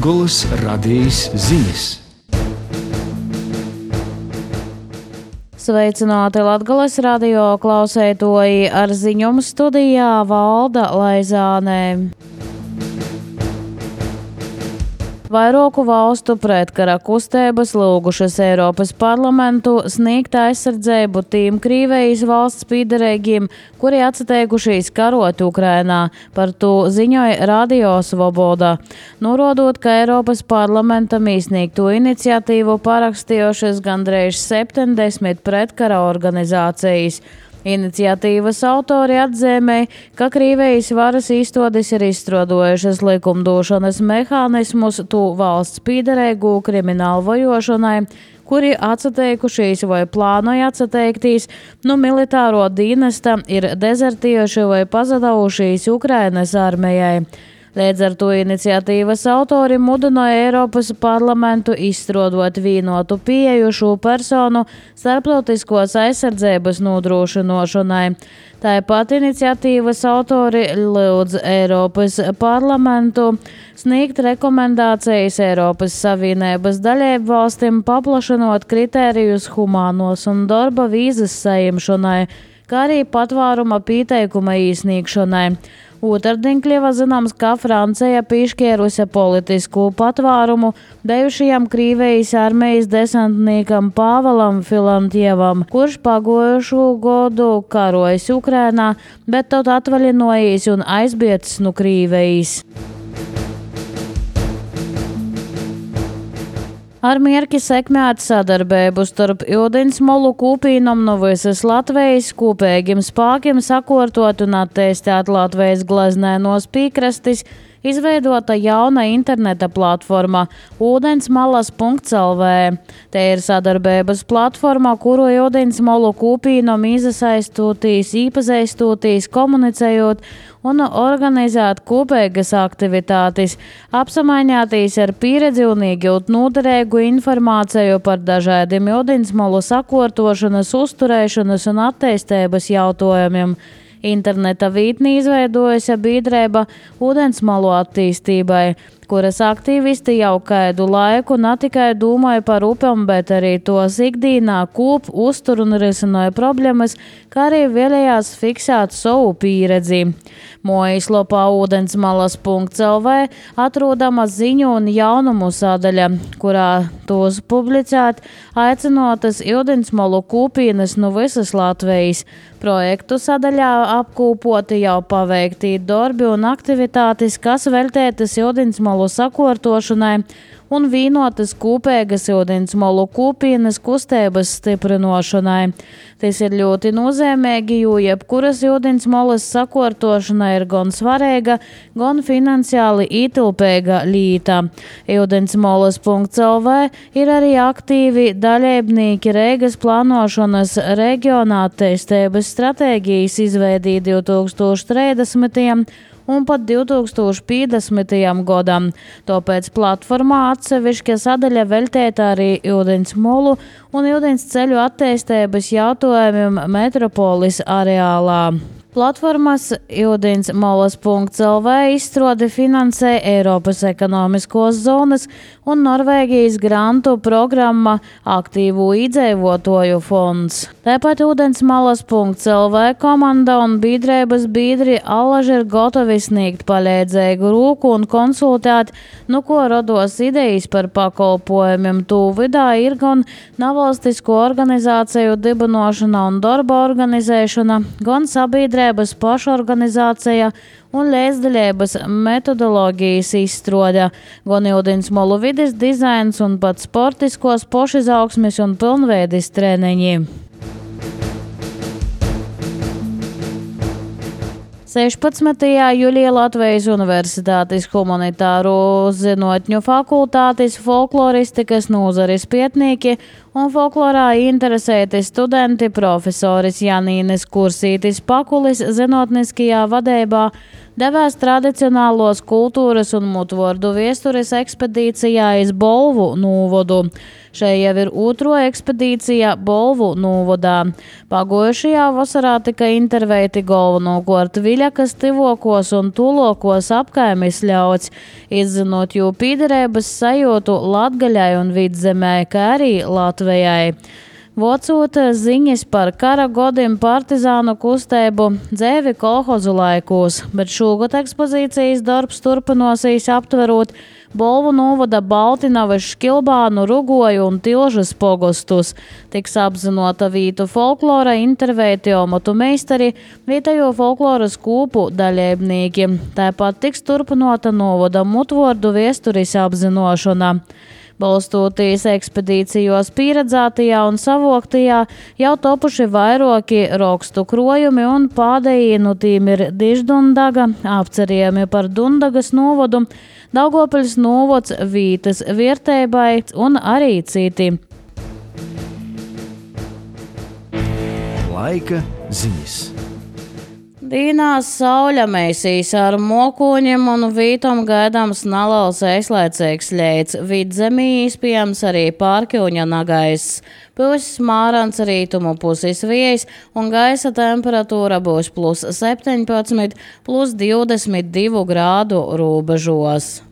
Latgolas radijas ziņas. Sveicināti Latgolas radio klausētoji, ar ziņumu studijā Valda Laizāne. Vairoku valstu pretkara kustības lūgušas Eiropas parlamentu sniegt aizsardzību tiem Krīvejas valsts pīderēgiem, kuri atsateikušies karot Ukrainā. Par to ziņoja Radio Svoboda. Norādot, ka Eiropas parlamentam izsniegto iniciatīvu parakstījušas gandrīz 70 pretkara organizācijas. Iniciatīvas autori atzīmēja, ka Krīvejas varas iestādes ir izstrādājušas likumdošanas mehānismus to valsts pīderēgu kriminālu vajošanai, kuri atsateikušies vai plānoja atsateikties no militāro dienesta, ir dezertējuši vai pazudījušies Ukrainas armijai. Līdz ar to iniciatīvas autori mudināja Eiropas parlamentu izstrādāt vienotu pieeju šo personu starptautiskos aizsardzības nodrošināšanai. Tāpat iniciatīvas autori lūdz Eiropas parlamentu sniegt rekomendācijas Eiropas Savienības dalību valstīm, paplašinot kritērijus humānos un darba vīzas saimšanai, kā arī patvēruma pieteikuma iesniegšanai. Otrdien kļuva zināms, ka Francija piešķīrusi politisku patvērumu bijušajam Krīvejas armijas desantniekam Pāvelam Filantjevam, kurš pagojušo gadu karojas Ukrainā, bet tad atvaļinojis un aizbēdzis no Krīvejas. Ar mērķi sekmēt sadarbību starp ūdensmolu kūpīnam no visas Latvijas kopīgiem spēkiem sakārtot un attīstīt Latvijas gleznēnos piekrastes, izveidota jauna interneta platforma ūdensmalas.lv. Te ir sadarbības platforma, kuru ūdensmolu kūpīnam izasaistūtīs, īpazīstūtīs, komunicējot un organizēt kopīgas aktivitātes, apsamaņātīs ar pieredzi un iegūt noderīgu informāciju par dažādiem ūdensmolu sakārtošanas, uzturēšanas un attīstības jautājumiem. Interneta vītni izveidojusi biedrība ūdensmalu attīstībai, kuras aktīvisti jau kādu laiku ne tikai domāja par upēm, bet arī tos ikdienā kūp, uztur un risināja problēmas, kā arī vēlējās fiksēt savu pieredzi. Mājaslapā ūdensmalas.lv atrodama ziņu un jaunumu sadaļa, kurā tos publicēt aicinotas ūdensmalu kūpīnes no visas Latvijas. Projektu sadaļā apkopoti jau paveikti darbi un aktivitātes, kas veltītas ūdensmalu sakārtošanai un vienotas kopīgas ūdensmalu kūpienes kustības stiprināšanai. Tas ir ļoti nozīmīgi, jo jebkuras ūdensmalas sakārtošana ir gan svarīga, gan finansiāli ietilpīga lieta. Ūdensmalas.lv ir arī aktīvi dalībnieki Reigas plānošanas reģionā attīstības stratēģijas izveidī 2030. un pat 2050. gadam. Tāpēc platformā atsevišķa sadaļa veltīta arī ūdensmolu un ūdensceļu attīstības jautājumiem metropoles areālā. Platformas ūdensmalas.lv izstrādi finansē Eiropas ekonomiskos zonas un Norvēģijas grantu programma Aktīvu iedzīvotāju fonds. Tāpat ūdensmalas.lv komanda un biedrības biedri allaži ir gatavi sniegt palīdzīgu roku un konsultēt, no ko rados idejas par pakalpojumiem. Tūvidā ir gan nevalstisko organizāciju dibinošana un darba organizēšana, gan sabiedrības pašorganizācija un līdzdalības metodoloģijas izstrāde, gan ūdensmalu vides dizains un pat sportiskos pašizaugsmes un pilnveides treniņi. 16. jūlijā Latvijas Universitātes humanitāro zinātņu fakultātes folkloristikas nozares pētnieki un folklorā interesēti studenti profesoris Janīnes Kursītis Pakulis zinātniskajā vadībā devās tradicionālos kultūras un mutvordu viesturis ekspedīcijā iz Bolvu novodu. Šai jau ir otro ekspedīcija Bolvu novodā. Pagojušajā vasarā tika intervēti galvenokārt Viļakas, Tivokos un Tulokos apkaimes ļauds, izzinot jū pīderības sajūtu Latgaļai un Vidzemē, kā arī Latvijai. Vocot ziņas par kara godim partizānu kustību dzēvi kolhozu laikos, bet šogad ekspozīcijas darbs turpinosies aptverot Bolvu novada Baltinavas, Škilbānu, Rugoju un Tilžas pogostus. Tiks apzinota vītu folklora intervēti omatu meistari, vietējo folkloras kūpu daļēbnīki. Tāpat tiks turpinota novada mutvordu viesturis apzinošana. Balstoties ekspedīcijos pieredzētajā un savoktajā, jau topuši vairoki rakstu krojumi un pādējie no tīm ir Diždundaga, apcerījumi par Dundagas novodu, Daugopiļas novods Vītas vierteibai un arī citi. Laika ziņas. Dīnās sauļa mēsīs ar mokoņiem un vītom gaidāms nalaus aizlaicīgs ļeids. Vidzemī izpējams arī Pārkiuņa nagaiss. Pils mārans rītumu pusis vējs un gaisa temperatūra būs plus 17, plus 22 grādu robežos.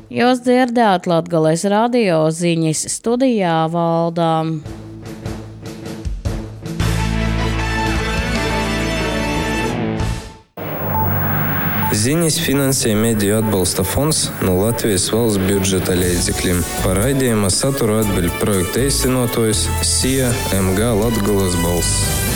Jūs dzirdējāt Latgales radio ziņas, studijā Valdām. Ziņas finansē Mediju atbalsta fonds no Latvijas valsts budžeta līdzekļiem. Par raidījuma saturu atbild projekta īstenotājs SIA MG Latgales balss.